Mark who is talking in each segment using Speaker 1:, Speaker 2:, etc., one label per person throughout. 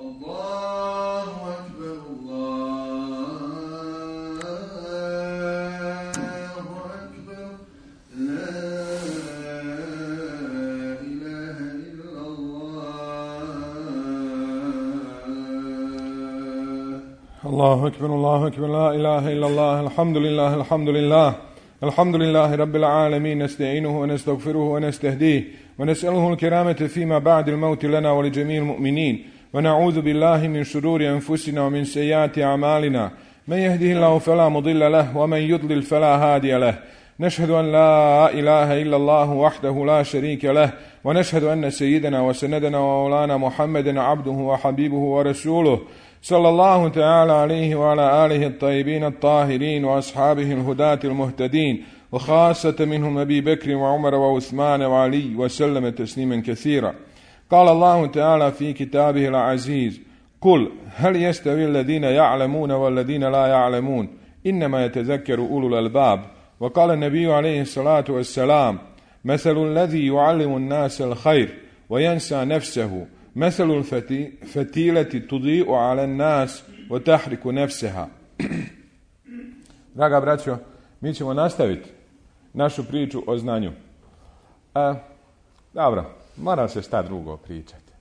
Speaker 1: الله أكبر الله أكبر لا إله إلا الله الحمد لله الحمد لله الحمد لله رب العالمين نستعينه ونستغفره ونستهديه ونسأله الكرامة فيما بعد الموت لنا ولجميع المؤمنين ونعوذ بالله من شرور أنفسنا ومن سيئات أعمالنا من يهده الله فلا مضل له ومن يضلل فلا هادي له نشهد أن لا إله إلا الله وحده لا شريك له ونشهد أن سيدنا وسندنا ومولانا محمدا عبده وحبيبه ورسوله صلى الله تعالى عليه وعلى آله الطيبين الطاهرين وأصحابه الهداة المهتدين وخاصة منهم أبي بكر وعمر وعثمان وعلي وسلم تسليما كثيرا. قال الله تعالى في كتابه العزيز: قل هل يستوي الذين يعلمون والذين لا يعلمون إنما يتذكر أولو الألباب. وقال النبي عليه الصلاة والسلام: مثل الذي يعلم الناس الخير وينسى نفسه مثل الفتيلة تضيء على الناس وتحرك نفسها. Draga braćo, mi ćemo nastaviti našu priču o znanju. Dobro, mora se šta drugo pričati.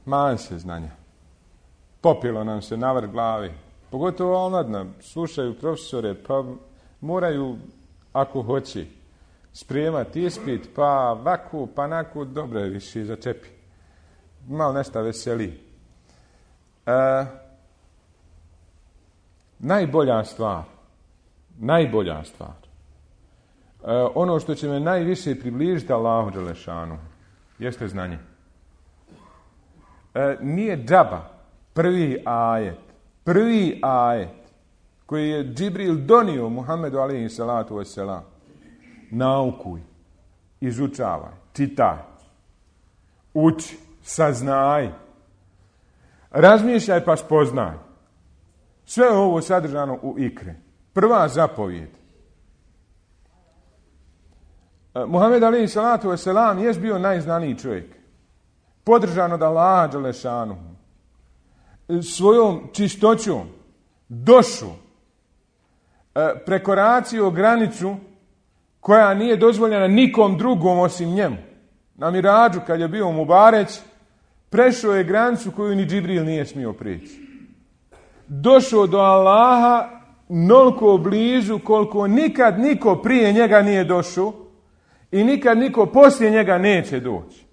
Speaker 1: Man se znanja. Popilo nam se navrh glavi. Pogotovo omladna, slušaju profesore, pa moraju, ako hoće, spremati ispit, pa vaku, pa naku, dobro je više začepi. Malo nešto veseli. Najbolja stvar, ono što će me najviše približiti Allahu dželešanu, jeste znanje. Nije džaba prvi ajet koji je Džibril donio Muhammedu alejhi salatu vesselam. Naukuj, izučavaj, čitaj, uči, saznaj, razmišljaj pa spoznaj. Sve ovo sadržano u ikre. Prva zapovjed. Muhammed alejhi salatu vesselam je bio najznaniji čovjek. Podržan od Allaha dželešanu. Svojom čistoćom, došu, prekoracio granicu koja nije dozvoljena nikom drugom osim njemu. Na Miradžu, kad je bio Mubareć, prešao je granicu koju ni Džibril nije smio prijeći. Došao do Allaha noliko blizu koliko nikad niko prije njega nije došao i nikad niko poslije njega neće doći.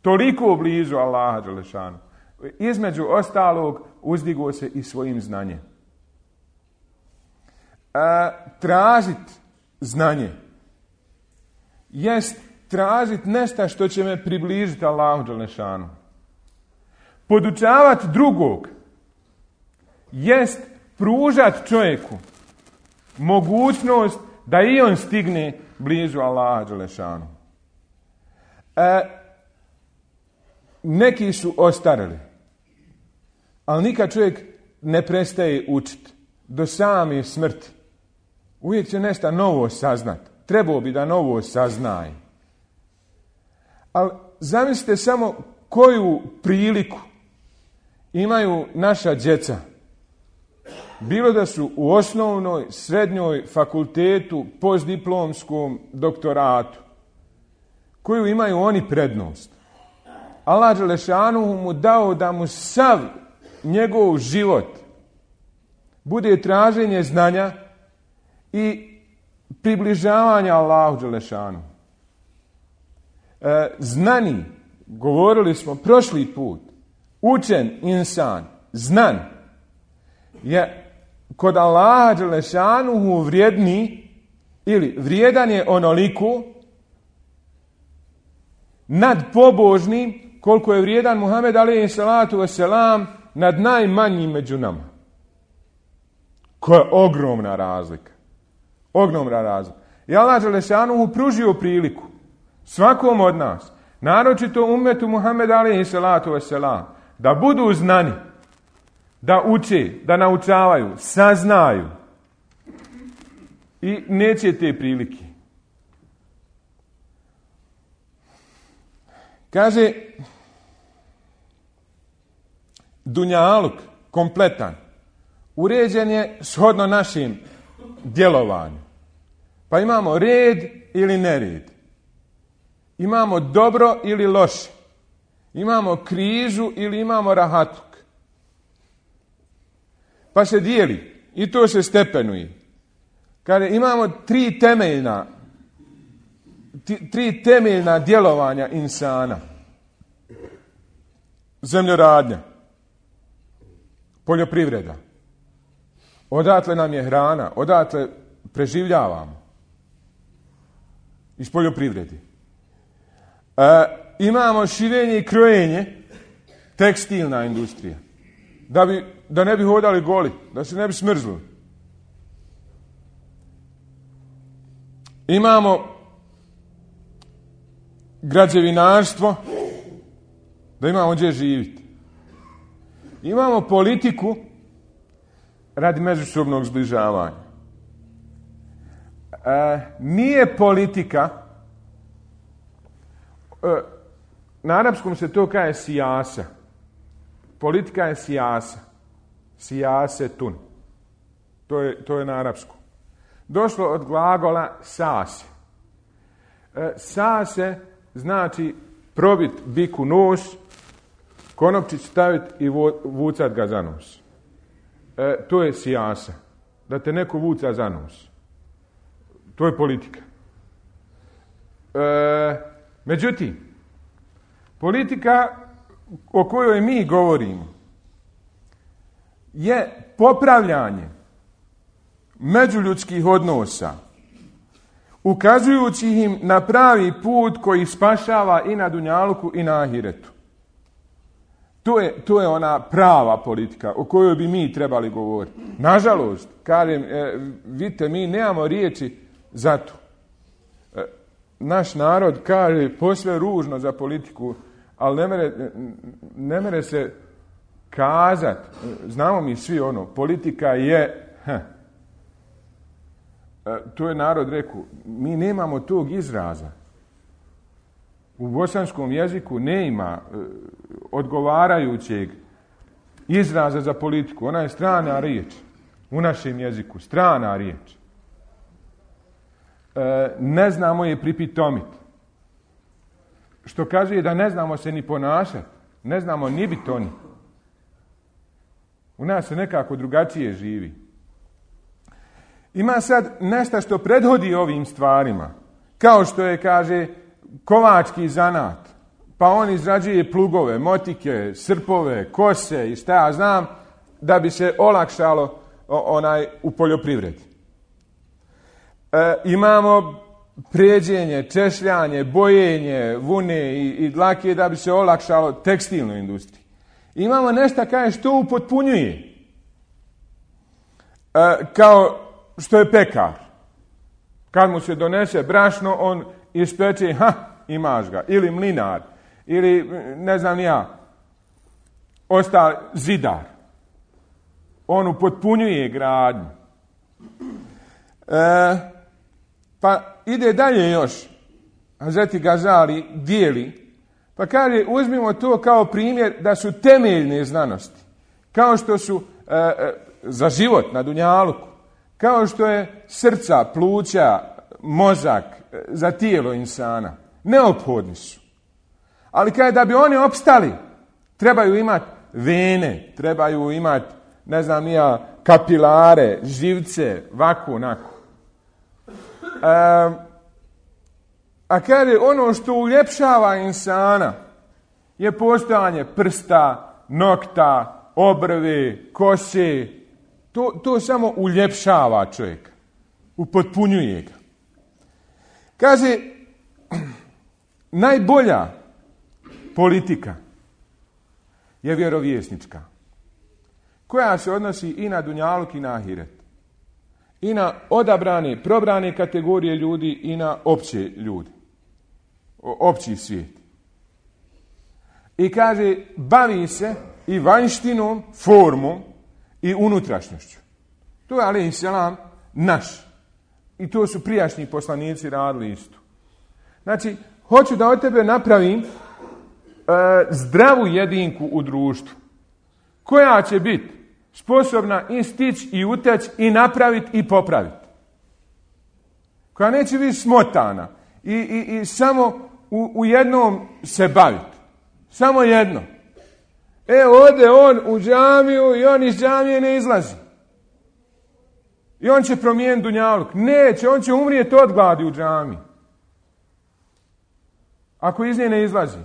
Speaker 1: Toliko blizu Allaha dželešanu. Između ostalog uzdigao se i svojim znanjem. Tražiti znanje jest tražiti nešto što će me približiti Allahu dželešanu. Podučavati drugog jest pružati čovjeku mogućnost da i on stigne blizu Allaha dželešanu. Neki su ostarili, ali nikad čovjek ne prestaje učiti do same smrti. Uvijek će nešto novo saznati. Trebao bi da novo saznaje. Ali zamislite samo koju priliku imaju naša djeca. Bilo da su u osnovnoj, srednjoj, fakultetu, postdiplomskom, doktoratu. Koju imaju oni prednost. Allah dželešanuhu mu dao da mu sav njegov život bude traženje znanja i približavanja Allahu dželešanu. Znani, govorili smo prošli put, učen insan, znan, je kod Allaha dželešanuhu vrijedni ili vrijedan je onoliko nad pobožnim koliko je vrijedan Muhammed alejhi salatu vesselam nad najmanjim među nama. Koja je ogromna razlika. Ogromna razlika. I Allah dželešanuhu pružio priliku svakom od nas, naročito ummetu Muhammed alejhi salatu vesselam, da budu znani, da uče, da naučavaju, saznaju. I neće te prilike. Kaže, dunjaluk kompletan uređen je shodno našim djelovanju. Pa imamo red ili nered. Imamo dobro ili loše. Imamo krizu ili imamo rahatluk. Pa se dijeli i to se stepenuje. Kada imamo tri temeljna djelovanja insana. Zemljoradnja, poljoprivreda. Odatle nam je hrana, odatle preživljavamo. Iz poljoprivrede. Imamo šivenje i krojenje, tekstilna industrija. Da ne bi hodali goli, da se ne bi smrzli. Imamo građevinarstvo, da imamo gdje živjeti. Imamo politiku radi međusobnog zbližavanja. Nije politika, na arapskom se to kaže sijasa. Politika je sijasa. Sijasetun. To je na arapskom. Došlo od glagola sase. Sase znači probit biku nos, konopčić staviti i vucat ga za nos. To je sijasa. Da te neko vuca za nos. To je politika. Međutim, politika o kojoj mi govorimo je popravljanje međuljudskih odnosa, ukazujući im na pravi put koji spašava i na dunjaluku i na ahiretu. To je ona prava politika o kojoj bi mi trebali govoriti. Nažalost, kažem, vidite, mi nemamo riječi za to. Naš narod kaže posve ružno za politiku, ali ne mere se kazati. Znamo mi svi ono, politika je... To je narod rekao, mi nemamo tog izraza. U bosanskom jeziku nema odgovarajućeg izraza za politiku. Ona je strana riječ. U našem jeziku, strana riječ. Ne znamo je pripitomiti. Što kazuje da ne znamo se ni ponašati. Ne znamo ni biti oni. U nas se nekako drugačije živi. Ima sad nešto što prethodi ovim stvarima. Kao što je, kaže, kovački zanat. Pa on izrađuje plugove, motike, srpove, kose i šta ja znam, da bi se olakšalo u poljoprivredi. Imamo pređenje, češljanje, bojenje, vune i dlake da bi se olakšalo tekstilnoj industriji. Imamo nešto kaže što upotpunjuje. Kao što je pekar. Kad mu se donese brašno, on ispeče, imaš ga. Ili mlinar. Ili, ne znam ja, ostali zidar. On upotpunjuje gradnju. Pa ide dalje još. Hazreti Gazali dijeli. Pa kaže, uzmimo to kao primjer da su temeljne znanosti. Kao što su za život na dunjaluku. Kao što je srca, pluća, mozak za tijelo insana. Neophodni su. Ali kaže da bi oni opstali, trebaju imati vene, trebaju imati, ne znam ja, kapilare, živce, vaku, onako. A kaže, ono što uljepšava insana je postojanje prsta, nokta, obrve, kose. To samo uljepšava čovjeka. Upotpunjuje ga. Kaže, najbolja politika je vjerovjesnička. Koja se odnosi i na dunjaluk i na ahiret. I na odabrane, probrane kategorije ljudi i na opće ljudi. Opći svijet. I kaže, bavi se i vanjštinom, formom i unutrašnjošću. To je, alejhi selam, naš. I to su prijašnji poslanici radili isto. Znači, hoću da od tebe napravim zdravu jedinku u društvu, koja će biti sposobna i stići i uteći i napraviti i popraviti. Koja neće biti smotana i samo u jednom se baviti. Samo jedno. Ode on u džamiju i on iz džamije ne izlazi. I on će promijeniti dunjaluk. Neće, on će umrijeti od gladi u džamiji. Ako iz nje ne izlazi.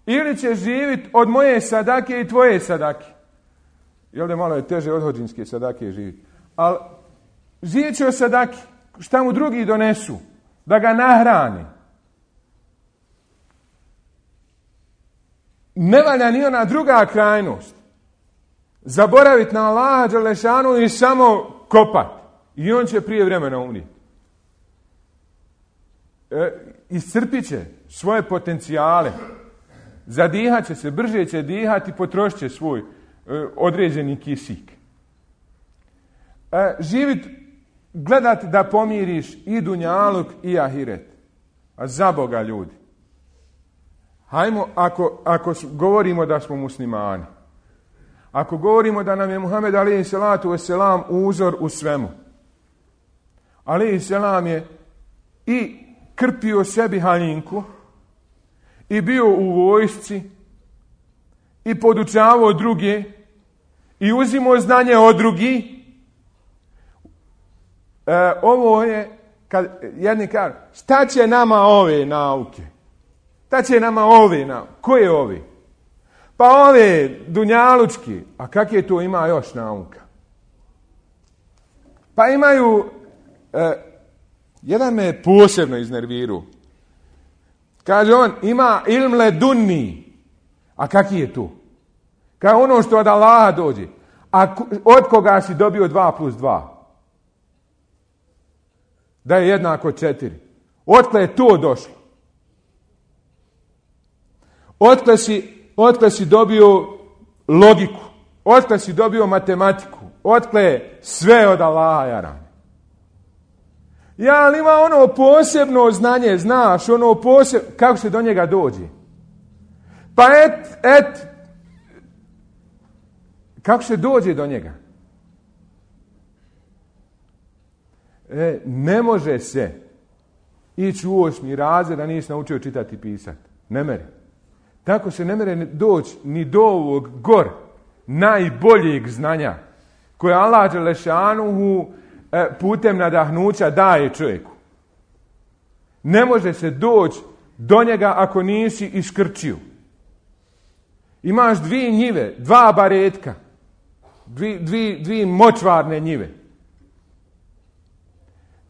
Speaker 1: Ili će živjeti od moje sadake i tvoje sadake. Jel da malo je teže od hođinske sadake živjeti. Ali živjet će od sadake. Šta mu drugi donesu. Da ga nahrani. Ne valja ni ona druga krajnost. Zaboraviti na Allaha dželešanu i samo kopat. I on će prije vremena umrijeti. Iscrpit će svoje potencijale. Zadihat će se, brže će dihati i potrošit će svoj određeni kisik. Živit, gledati da pomiriš i dunjaluk i ahiret. A za Boga ljudi. Hajmo, ako govorimo da smo muslimani, ako govorimo da nam je Muhammed alejhi salatu vesselam uzor u svemu, alejhi selam je i krpio sebi haljinku, i bio u vojsci, i podučavao druge, i uzimao znanje od drugih. Ovo je, kad jedni kažu, šta će nama ove nauke? Šta će nama ove nauke? Koje ove? Pa ove dunjalučki. A kakve to ima još nauka? Pa imaju, jedan me posebno iznervirao. Kaže on, ima ilm ledunni. A kakvi je to? Kaže ono što od Allaha dođe. A od koga si dobio 2+2? Da je jednako 4. Otkle je to došlo? Otkle si dobio logiku? Otkle si dobio matematiku? Otkle je sve od Allaha, jaran? Ja, ali ima ono posebno znanje, znaš, ono posebno, kako se do njega dođe? Pa kako se dođe do njega? Ne može se ići u 8. razred da nisi naučio čitati i pisati. Ne mere. Tako se ne mere doći ni do ovog najboljeg znanja koje Allah dželešanuhu putem nadahnuća daje čovjeku. Ne može se doći do njega ako nisi iskrčio. Imaš 2 njive, 2 baretka, 2 močvarne njive.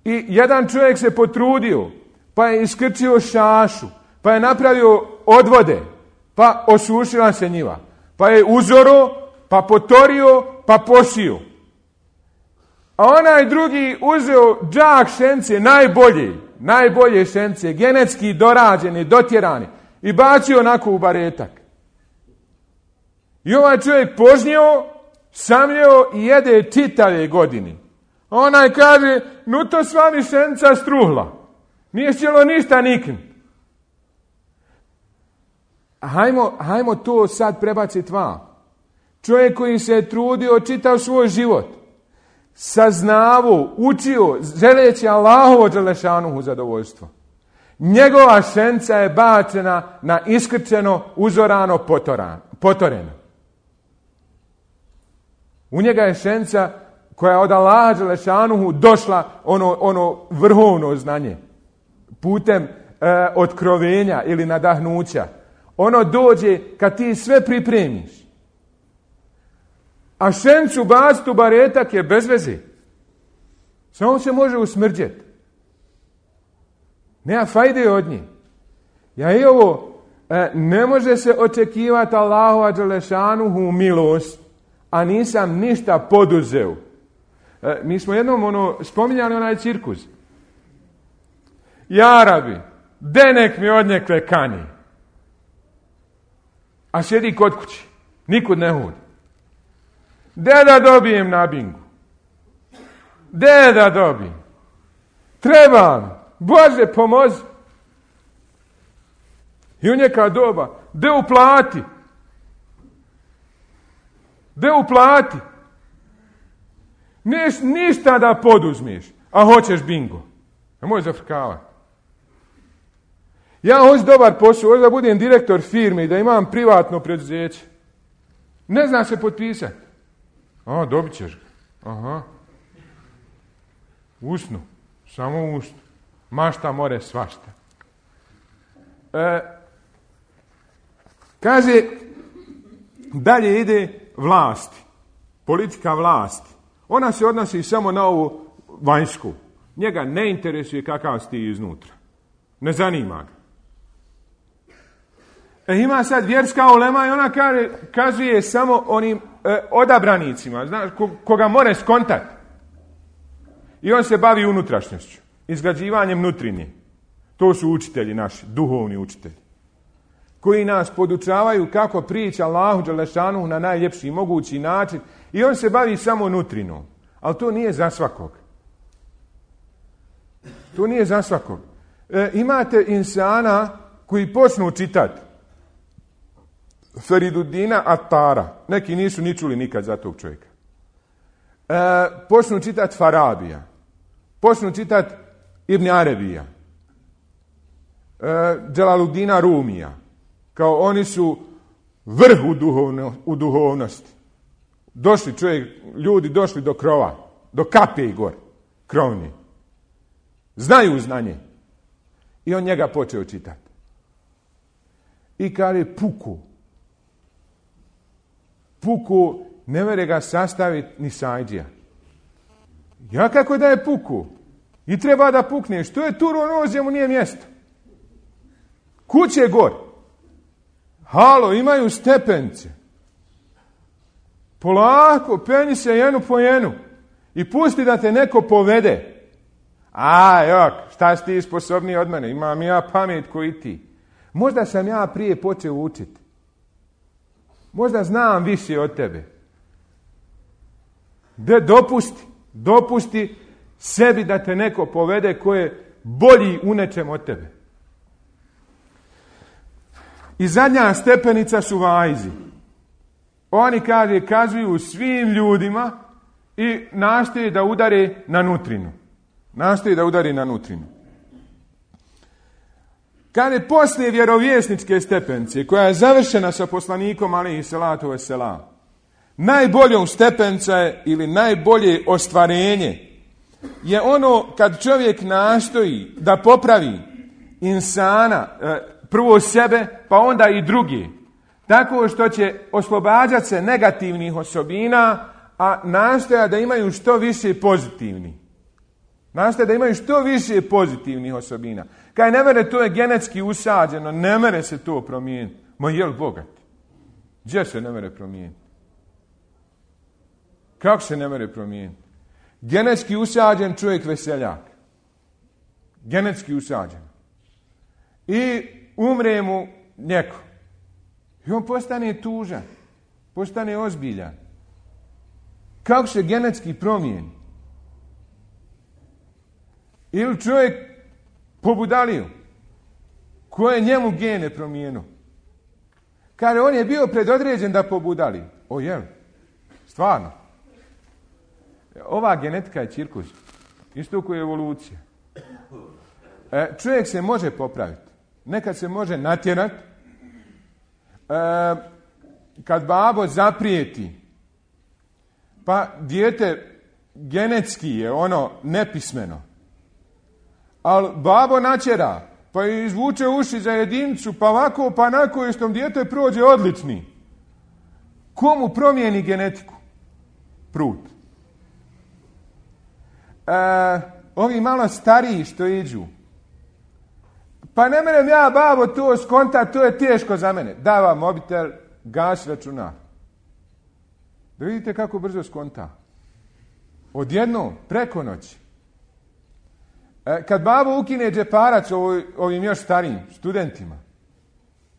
Speaker 1: I jedan čovjek se potrudio, pa je iskrčio šašu, pa je napravio odvode, pa osušila se njiva, pa je uzoro, pa potorio, pa posio. A onaj drugi uzeo džak šence, najbolje šence, genetski dorađeni, dotjerani, i bacio onako u baretak. I ovaj čovjek požnio, samljeo i jede čitave godine. A onaj kaže, no to s vami šenca struhla. Nije htjelo ništa nikn. Hajmo to sad prebaciti vam. Čovjek koji se je trudio, čitao svoj život, saznavo, učio, želeći Allahovo dželešanuhu zadovoljstvo. Njegova šenca je bačena na iskrčeno, uzorano, potoreno. U njega je šenca koja je od Allaha dželešanuhu došla ono vrhovno znanje. Putem otkrovenja ili nadahnuća. Ono dođe kad ti sve pripremiš. A šencu baciti u baretak je bez veze. Samo se može usmrđeti. Nema fajde od nje. Ja i ovo, ne može se očekivati Allahova dželešanuhu milost, a nisam ništa poduzeo. Mi smo jednom spominjali onaj cirkus. Ja rabi, denek mi odnekle kani. A sjedi kod kući. Nikud ne hodi. De da dobijem na bingu. De da dobijem. Trebam. Bože, pomozi. I u njeka doba. De uplati. De uplati. Ništa da poduzmeš, a hoćeš bingo. Nemoj zafrkavati. Ja hoću dobar posao, hoću da budem direktor firme i da imam privatno preduzeće. Ne zna se potpisati. Dobit ćeš ga. Aha. Usnu. Samo usnu. Mašta more svašta. Kaže, dalje ide vlasti. Politika vlasti. Ona se odnosi samo na ovu vanjsku. Njega ne interesuje kakav si ti iznutra. Ne zanima ga. Ima sad vjerska ulema i ona kazuje samo onim odabranicima, znaš, koga more skontati. I on se bavi unutrašnjošću, izgrađivanjem nutrinje. To su učitelji naši, duhovni učitelji, koji nas podučavaju kako priča Allahu dželešanu na najljepši mogući način. I on se bavi samo nutrinom. Ali to nije za svakog. To nije za svakog. Imate insana koji počnu čitati Feriduddina Atara. Neki nisu ni čuli nikad za tog čovjeka. Počnu čitati Farabija. Počnu čitati Ibn Arabija. Dželaluddina Rumija. Kao oni su vrh u duhovnosti. Ljudi došli do krova, do kape i gore, krovni. Znaju znanje. I on njega počeo čitati. I kaže puku, ne mere ga sastaviti ni sajđija. Ja kako da je puku? I treba da pukneš. To je turonozije, mu nije mjesto. Kuće gor. Halo, imaju stepence. Polako, penji se jenu po jenu. I pusti da te neko povede. Šta si ti sposobniji od mene? Imam ja pamet koji ti. Možda sam ja prije počeo učiti. Možda znam više od tebe. Dopusti sebi da te neko povede ko je bolji u nečem od tebe. I zadnja stepenica su vajzi. Oni kazuju svim ljudima i nastoje da udare na nutrinu. Kad je poslije vjerovjesničke stepenice, koja je završena sa poslanikom alejhi salatu vesselam, najboljom stepenca je, ili najbolje ostvarenje, je ono kad čovjek nastoji da popravi insana, prvo sebe, pa onda i drugi, tako što će oslobađati se negativnih osobina, a nastoja da imaju što više pozitivnih. Nastoja da imaju što više pozitivnih osobina. Kaj ne mere, to je genetski usađeno, ne mere se to promijeniti. Ma jel bogat? Gdje se ne mere promijeniti? Kako se ne mere promijeniti? Genetski usađen čovjek veseljak. Genetski usađen. I umre mu neko. I on postane tužan. Postane ozbiljan. Kako se genetski promijeni? Ili čovjek pobudalio. Ko je njemu gene promijenio? Kaže, on je bio predodređen da pobudali. O jel? Stvarno. Ova genetika je cirkus. Isto kao je evolucija. Čovjek se može popraviti. Nekad se može natjerati. Kad babo zaprijeti, pa dijete genetski je ono nepismeno. Ali babo načera, pa izvuče uši za jedincu, pa ovako, pa onako, i s tom dijete prođe odlični. Komu promijeni genetiku? Prut. Ovi malo stariji što iđu. Pa ne merem ja, babo, to skonta, to je teško za mene. Dava mobitel, gas računar. Da vidite kako brzo skonta. Odjednom, preko noći. Kad babo ukine džeparac ovim još starijim studentima,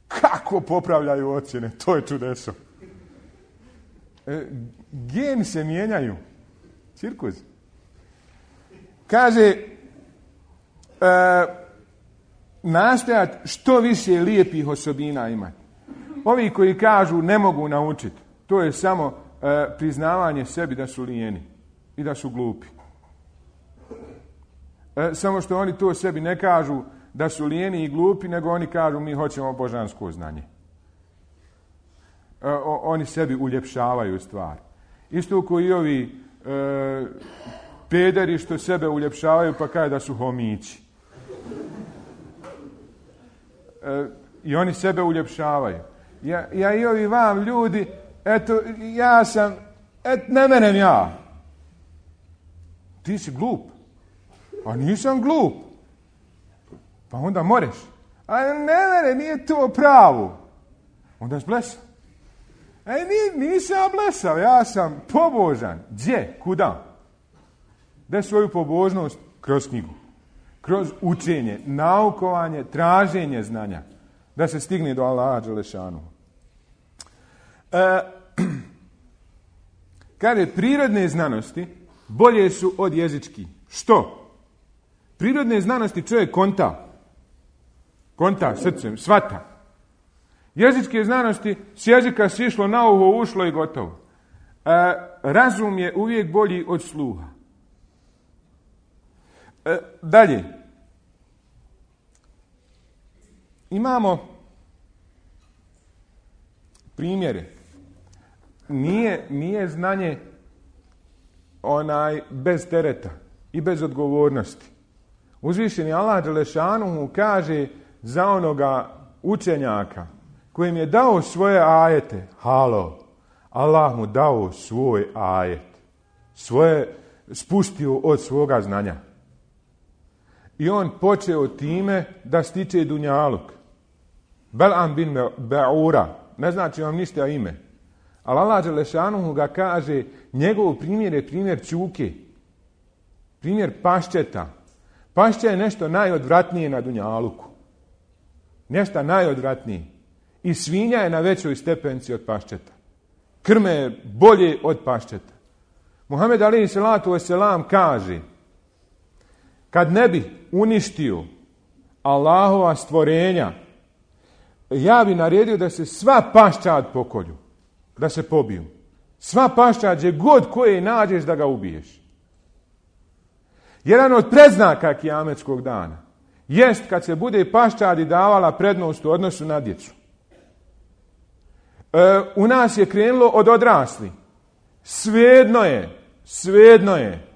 Speaker 1: kako popravljaju ocjene, to je čudeso. Geni se mijenjaju. Cirkus. Kaže, nastojati što više lijepih osobina imati. Ovi koji kažu ne mogu naučiti, to je samo priznavanje sebi da su lijeni i da su glupi. Samo što oni to sebi ne kažu da su lijeni i glupi, nego oni kažu mi hoćemo božansko znanje. Oni sebi uljepšavaju stvar. Isto koji i ovi pederi što sebe uljepšavaju pa kaže da su homići. I oni sebe uljepšavaju. Ja i ovi vam ljudi, eto, ja sam, ne menem ja. Ti si glup. A nisam glup. Pa onda moreš. A ne, nije to pravo. Onda si blesav. Nisam blesav, ja sam pobožan. Gdje? Kuda? Da svoju pobožnost kroz knjigu. Kroz učenje, naukovanje, traženje znanja. Da se stigne do Allaha dželešanu. Kaže, prirodne znanosti bolje su od jezičkih. Što? Prirodne znanosti čovjek konta srcem, svata. Jezičke znanosti s jezika sišlo na uho, ušlo i gotovo. Razum je uvijek bolji od sluha. Dalje. Imamo primjere. Nije znanje bez tereta i bez odgovornosti. Uzvišeni Allah dželešanuhu kaže za onoga učenjaka kojim je dao svoje ajete. Allah mu dao svoj ajet. Svoje spustio od svoga znanja. I on počeo time da stiče dunjaluk. Bel'am bin Ba'ura. Ne znači vam ništa ime. Ali Allah dželešanuhu ga kaže, njegov primjer je primjer čuke. Primjer paščeta. Pašća je nešto najodvratnije na dunjaluku. Nešto najodvratnije. I svinja je na većoj stepenci od paščeta. Krme je bolje od paščeta. Muhammed alejhi selatu vesselam kaže, kad ne bi uništio Allahova stvorenja, ja bi naredio da se sva paščad pokolju, da se pobiju. Sva paščad, gdje god koje nađeš da ga ubiješ. Jedan od predznaka kijametskog dana jest kad se bude paščadi davala prednost u odnosu na djecu. U nas je krenulo od odrasli. Svejedno je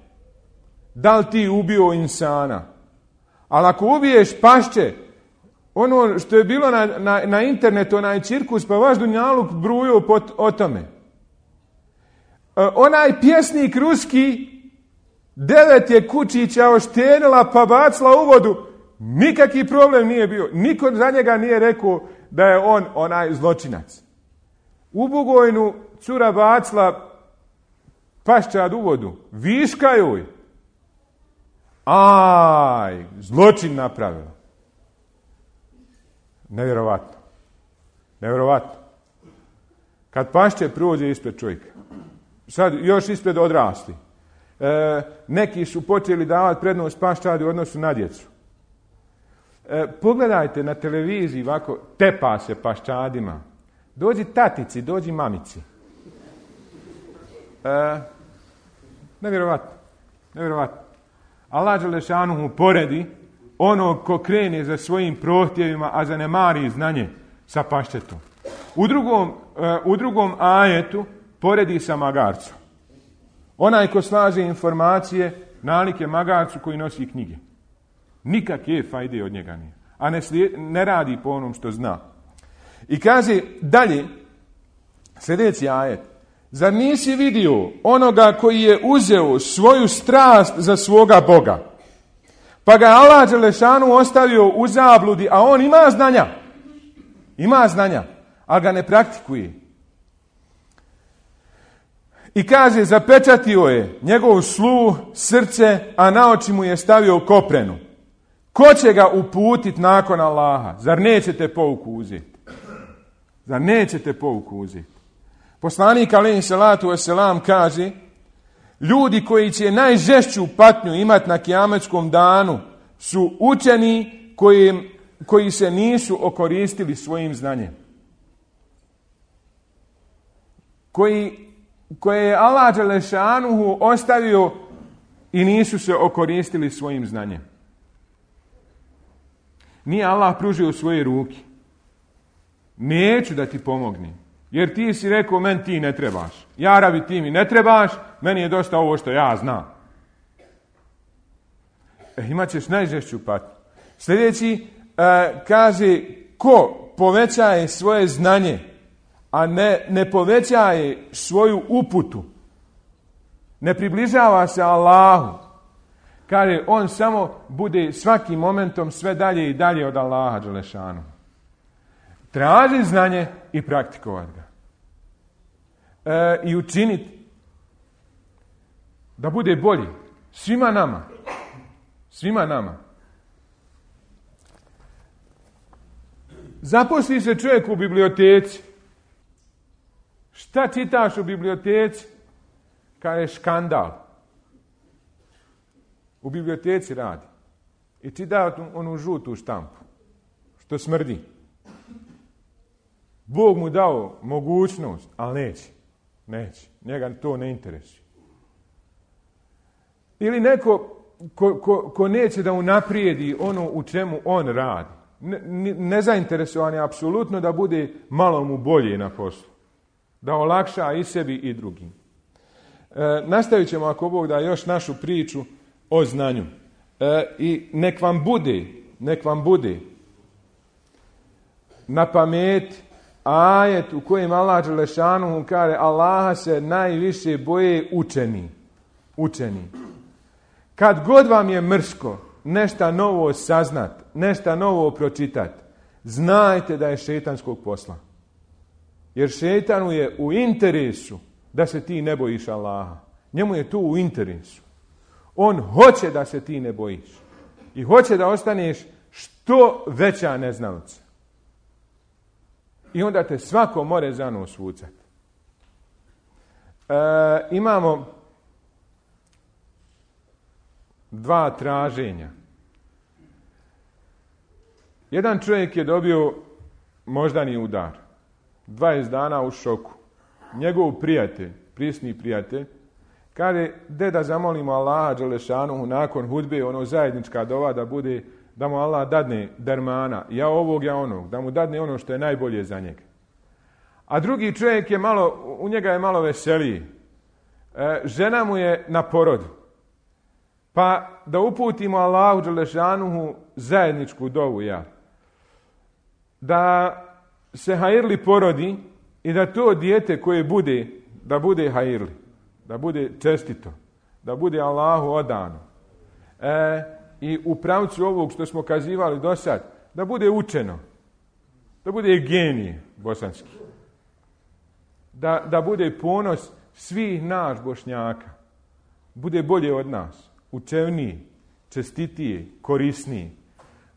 Speaker 1: da li ti ubio insana. Ali ako ubiješ pašće, ono što je bilo na internetu, onaj cirkus, pa vaš dunjaluk bruju o tome. Onaj pjesnik ruski 9 je kučića oštenila pa bacila u vodu. Nikakvi problem nije bio. Niko za njega nije rekao da je on onaj zločinac. U Bugojnu cura bacila paščad u vodu. Viška joj. Zločin napravila. Nevjerovatno. Kad pašće prođe ispred čovjeka. Sad još ispred odrasli. Neki su počeli davati prednost paščadi u odnosu na djecu. Pogledajte na televiziji ovako, tepa se paščadima. Dođi tatici, dođi mamici. Nevjerovatno. Allah dželešanuhu poredi onog ko krene za svojim prohtjevima, a zanemari znanje sa paščetom. U drugom ajetu poredi sa magarcom. Onaj ko slaže informacije, nalik je magarcu koji nosi knjige. Nikakve fajde od njega nije. A ne radi po onom što zna. I kaže dalje, sljedeći ajet. Zar nisi vidio onoga koji je uzeo svoju strast za svoga Boga? Pa ga Allah dželešanu ostavio u zabludi, a on ima znanja, ali ga ne praktikuje. I kaže, zapečatio je njegov sluh, srce, a na oči mu je stavio koprenu. Ko će ga uputiti nakon Allaha? Zar nećete pouku uzeti? Poslanik alejhi selatu vesselam kaže, ljudi koji će najžešću patnju imati na kijametskom danu su učeni koji se nisu okoristili svojim znanjem. Koji koje je Allah dželešanuhu ostavio i nisu se okoristili svojim znanjem. Nije Allah pružio svoje ruke. Neću da ti pomognem, jer ti si rekao, meni ti ne trebaš. Ja rabi, ti mi ne trebaš, meni je dosta ovo što ja znam. Imat ćeš najžešću patnju. Sljedeći kaže, ko povećaje svoje znanje, a ne povećaje svoju uputu, ne približava se Allahu, kaže, on samo bude svakim momentom sve dalje i dalje od Allaha dželešanu. Traži znanje i praktikovati ga. I učiniti da bude bolji svima nama. Svima nama. Zaposli se čovjek u biblioteci. Šta čitaš u biblioteci? Kaže škandal. U biblioteci radi. I čita onu žutu štampu. Što smrdi. Bog mu dao mogućnost, ali neće. Neće. Njega to ne interesuje. Ili neko ko neće da unaprijedi ono u čemu on radi. Nezainteresovan je apsolutno da bude malo mu bolje na poslu. Da olakša i sebi i drugim. Nastavit ćemo, ako Bog da, još našu priču o znanju. I nek vam bude na pamet ajet u kojem Allah dželešanuhu kaže, Allaha se najviše boje učeni. Kad god vam je mrsko nešto novo saznat, nešto novo pročitat, znajte da je šejtanskog posla. Jer šejtanu je u interesu da se ti ne bojiš Allaha. Njemu je to u interesu. On hoće da se ti ne bojiš. I hoće da ostaneš što veća neznalica. I onda te svako more za nos vucat. Imamo 2 traženja. Jedan čovjek je dobio moždani udar. 20 dana u šoku. Njegov prijatelj, prisni prijatelj, kaže, da zamolimo Allaha dželešanuhu nakon hudbe, ono zajednička dova da bude, da mu Allah dadne dermana, ja ovog, ja onog, da mu dadne ono što je najbolje za njega. A drugi čovjek je u njega je malo veseliji. Žena mu je na porodu. Pa da uputimo Allahu dželešanuhu zajedničku dovu, da se hajirli porodi i da to dijete koje bude, da bude hajirli, da bude čestito, da bude Allahu odano. I u pravcu ovog što smo kazivali do sad, da bude učeno, da bude genije bosanski, da bude ponos svih nas Bošnjaka, bude bolje od nas, učevniji, čestitiji, korisniji.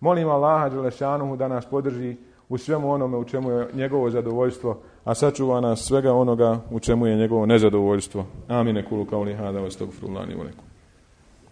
Speaker 1: Molim Allaha dželešanuhu da nas podrži u svemu onome u čemu je njegovo zadovoljstvo, a sačuva nas svega onoga u čemu je njegovo nezadovoljstvo. Amine kulu kauli hada, wa astagfirullahi wa lakum.